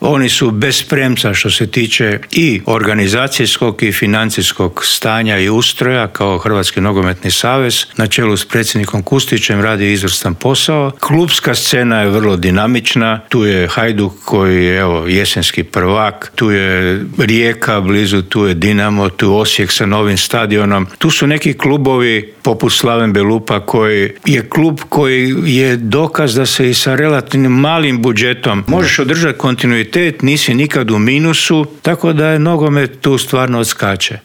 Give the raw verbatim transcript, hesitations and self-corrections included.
Oni su bez premca što se tiče i organizacijskog i financijskog stanja i ustroja kao Hrvatski nogometni savez. Na čelu s predsjednikom Kustićem radi izvrstan posao. Klubska scena je vrlo dinamična. Tu je Hajduk koji je evo, jesenski prvak, tu je Rijeka blizu, tu je Dinamo, tu je Osijek sa novim stadionom. Tu su neki klubovi poput Slaven Belupa koji je klub koji je dokaz da se i sa relativnim malim budžetom možeš održati kontinuitet, nisi nikad u minusu, tako da je nogomet tu stvarno odskače.